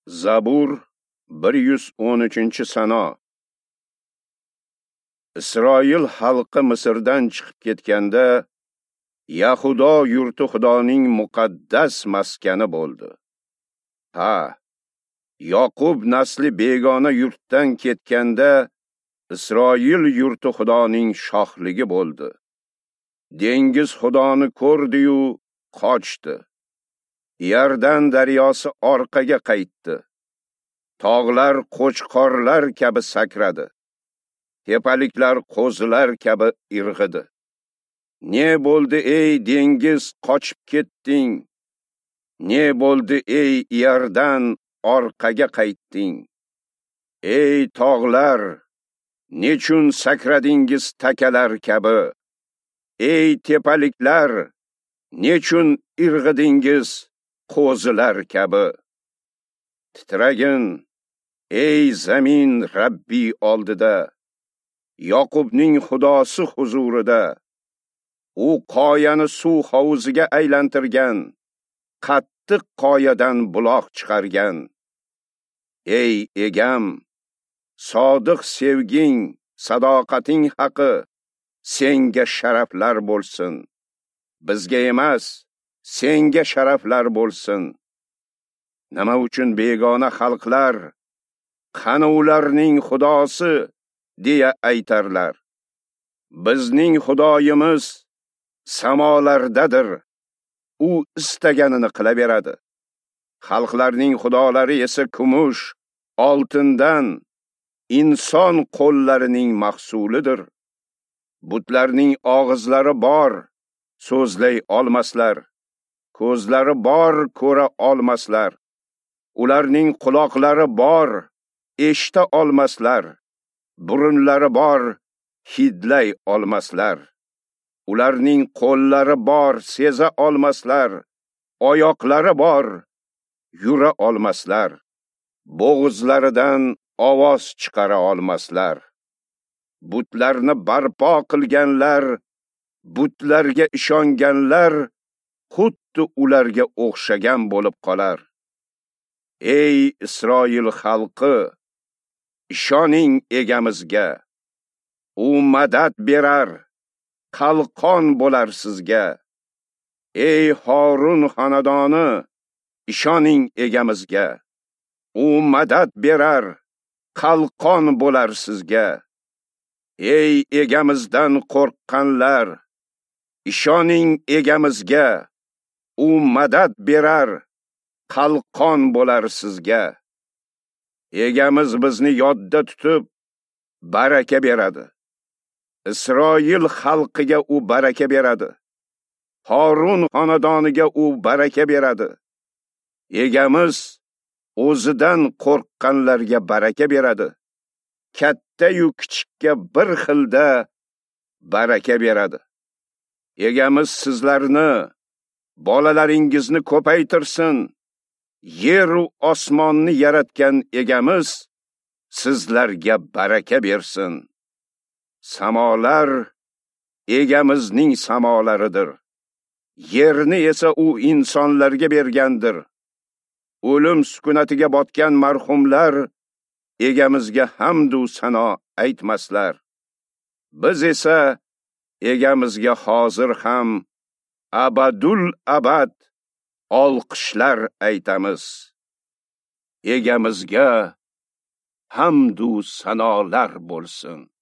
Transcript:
Zabur 113-sano. Isroil xalqi Misrdan chiqib ketganda, Yahudo yurti Xudoning muqaddas maskani bo'ldi. Ha, Yoqub nasli begona yurtdan ketganda, Isroil yurti Xudoning shohligi bo'ldi. Dengiz Xudoni ko'rdi-yu qochdi. Iordan daryosi orqaga qaytdi. Tog'lar qo'chqorlar kabi sakradi. Tepaliklar qo'zilar kabi irg'idi. Ne bo'ldi ey dengiz, qochib ketding? Ne bo'ldi ey Iordan, orqaga qaytding? Ey tog'lar, nechun sakradingiz takalar kabi? Ey tepaliklar, nechun irg'idingiz qo'zilar kabi? Titragin, ey zamin Rabbi oldida, Yoqubning Xudosi huzurida. U qoyani suv hovuziga aylantirgan, qattiq qoyadan buloq chiqargan. Ey egam, sodiq sevging, sadoqating haqi senga sharaflar bo'lsin. Bizga emas, senga sharaflar bo'lsin. Nima uchun begona xalqlar, qani ularning Xudosi, deya aytarlar? Bizning Xudoyimiz samolardadir. U istaganini qilaveradi. Xalqlarning xudolari esa kumush, oltindan, inson qo'llarining mahsulidir. Butlarning og'izlari bor, so'zlay olmaslar. Ko'zlari bor, ko'ra olmaslar. Ularning quloqlari bor, eshita olmaslar. Burunlari bor, hidlay olmaslar. Ularning qo'llari bor, seza olmaslar. Oyoqlari bor, yura olmaslar. Bo'g'izlaridan ovoz chiqara olmaslar. Butlarni barpo qilganlar, butlarga ishonganlar xuddi ularga o'xshagan bo'lib qolar. Ey Isroil xalqi, ishoning egamizga. U madad berar, qalqon bo'lar sizga. Ey Harun xonadoni, ishoning egamizga. U madad berar, qalqon bo'lar sizga. Ey egamizdan qo'rqqanlar, ishoning egamizga. U madad berar, qalqon bo'lar sizga. Egamiz bizni yodda tutib, baraka beradi. Isroil xalqiga u baraka beradi. Harun xonadoniga u baraka beradi. Egamiz o'zidan qo'rqqanlarga baraka beradi. Katta-yu kichikka bir xilda baraka beradi. Egamiz sizlarni, bolalaringizni ko'paytirsin. Yer u osmonni yaratgan egamiz sizlarga baraka bersin. Samolar egamizning samolaridir. Yerni esa u insonlarga bergandir. O'lim sukunatiga botgan marhumlar egamizga hamd u sano aytmaslar. Biz esa egamizga hozir ham abadul abad olqishlar aytamiz. Egamizga hamd u sanolar bo'lsin.